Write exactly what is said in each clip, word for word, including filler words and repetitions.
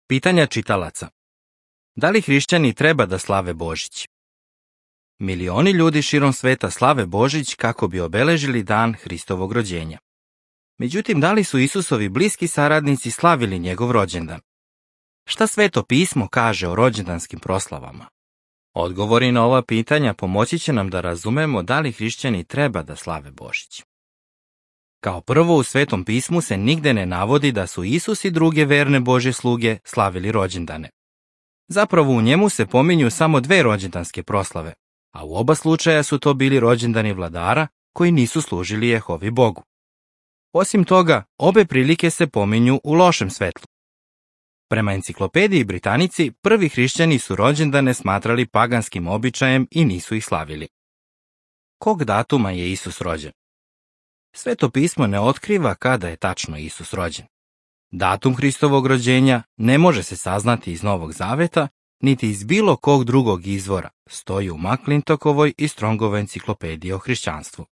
Pitanja čitalaca. Da li hrišćani treba da slave Božić? Milioni ljudi širom sveta slave Božić kako bi obeležili dan Hristovog rođenja. Međutim, da li su Isusovi bliski saradnici slavili njegov rođendan? Šta Sveto pismo kaže o rođendanskim proslavama? Odgovori na ova pitanja pomoći će nam da razumemo da li hrišćani treba da slave Božić. Kao prvo, u Svetom pismu se nigde ne navodi da su Isus i druge verne Božje sluge slavili rođendane. Zapravo u njemu se pominju samo dve rođendanske proslave, a u oba slučaja su to bili rođendani vladara koji nisu služili Jehovi Bogu. Osim toga, obe prilike se pominju u lošem svetlu. Prema enciklopediji Britanici, prvi hrišćani su rođendane smatrali paganskim običajem i nisu ih slavili. Kog datuma je Isus rođen? Sveto pismo ne otkriva kada je tačno Isus rođen. Datum Hristovog rođenja ne može se saznati iz Novog Zaveta, niti iz bilo kog drugog izvora, stoji u McClintokovoj i Strongovoj enciklopediji o hrišćanstvu.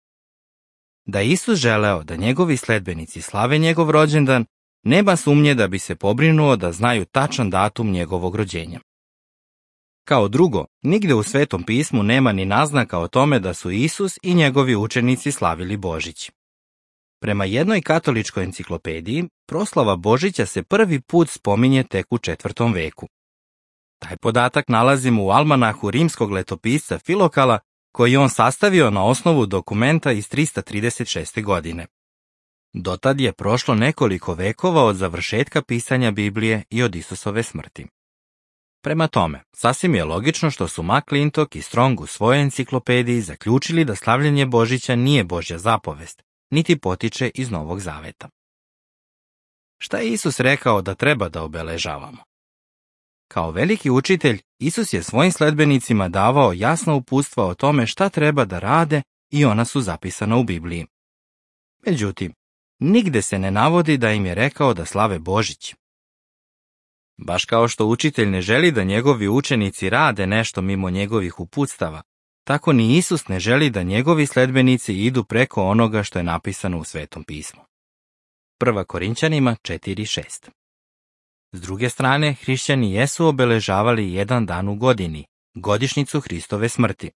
Da je Isus želeo da njegovi sledbenici slave njegov rođendan, nema sumnje da bi se pobrinuo da znaju tačan datum njegovog rođenja. Kao drugo, nigde u Svetom pismu nema ni naznaka o tome da su Isus i njegovi učenici slavili Božić. Prema jednoj katoličkoj enciklopediji, proslava Božića se prvi put spominje tek u četvrtom veku. Taj podatak nalazimo u almanahu rimskog letopisca Filokala, koji je on sastavio na osnovu dokumenta iz trista trideset šeste. godine. Dotad je prošlo nekoliko vekova od završetka pisanja Biblije i od Isusove smrti. Prema tome, sasvim je logično što su McClintock i Strong u svojoj enciklopediji zaključili da slavljenje Božića nije Božja zapovest, niti potiče iz Novog Zaveta. Šta je Isus rekao da treba da obeležavamo? Kao veliki učitelj, Isus je svojim sledbenicima davao jasna uputstva o tome šta treba da rade i ona su zapisana u Bibliji. Međutim, nigde se ne navodi da im je rekao da slave Božić. Baš kao što učitelj ne želi da njegovi učenici rade nešto mimo njegovih uputstava, tako ni Isus ne želi da njegovi sledbenici idu preko onoga što je napisano u Svetom pismu. Prva Korinćanima četiri šest. S druge strane, hrišćani jesu obeležavali jedan dan u godini, godišnjicu Hristove smrti.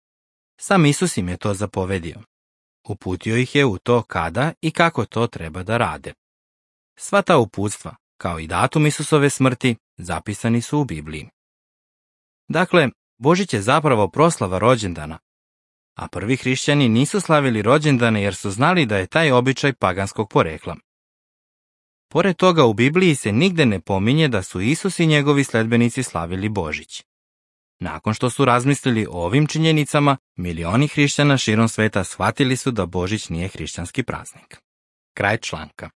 Sam Isus im je to zapovedio. Uputio ih je u to kada i kako to treba da rade. Sva ta uputstva, kao i datum Isusove smrti, zapisani su u Bibliji. Dakle, Božić je zapravo proslava rođendana, a prvi hrišćani nisu slavili rođendane jer su znali da je taj običaj paganskog porekla. Pored toga, u Bibliji se nigde ne pominje da su Isus i njegovi sledbenici slavili Božić. Nakon što su razmislili o ovim činjenicama, milioni hrišćana širom sveta shvatili su da Božić nije hrišćanski praznik. Kraj članka.